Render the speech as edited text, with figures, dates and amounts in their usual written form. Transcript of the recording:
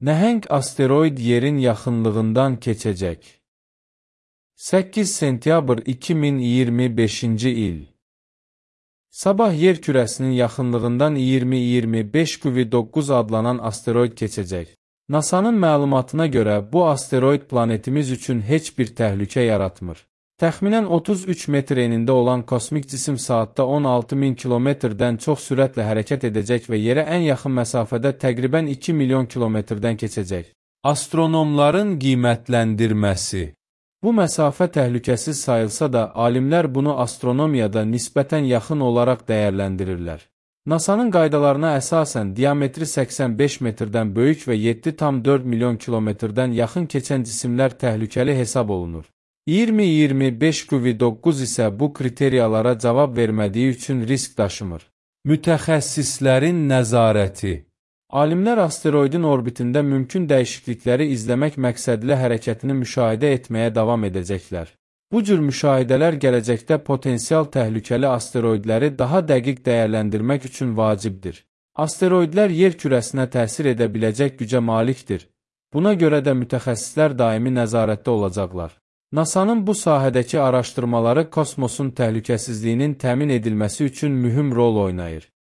Nəhəng asteroid yerin yaxınlığından keçəcək. 8 sentyabr 2025-ci il. Sabah yer kürəsinin yaxınlığından 2025 QV9 adlanan asteroid keçəcək. NASA-nın məlumatına görə bu asteroid planetimiz üçün heç bir təhlükə yaratmır. Təxminən 33 metr enində olan kosmik cisim saatda 16.000 kilometrdən çox sürətlə hərəkət edəcək və yerə ən yaxın məsafədə təqribən 2 milyon kilometrdən keçəcək. Astronomların qiymətləndirməsi. Bu məsafə təhlükəsiz sayılsa da, alimlər bunu astronomiyada nisbətən yaxın olaraq dəyərləndirirlər. NASA-nın qaydalarına əsasən diametri 85 metrdən böyük və 7,4 milyon kilometrdən yaxın keçən cisimlər təhlükəli hesab olunur. 2025 QV9 isə bu kriteriyalara cavab vermədiyi üçün risk daşımır. Mütəxəssislərin nəzarəti. Alimlər asteroidin orbitində mümkün dəyişiklikləri izləmək məqsədli hərəkətini müşahidə etməyə davam edəcəklər. Bu cür müşahidələr gələcəkdə potensial təhlükəli asteroidləri daha dəqiq dəyərləndirmək üçün vacibdir. Asteroidlər yer kürəsinə təsir edə biləcək gücə malikdir. Buna görə də mütəxəssislər daimi nəzarətdə olacaqlar. NASA-nın bu sahədəki araşdırmaları kosmosun təhlükəsizliyinin təmin edilməsi üçün mühüm rol oynayır.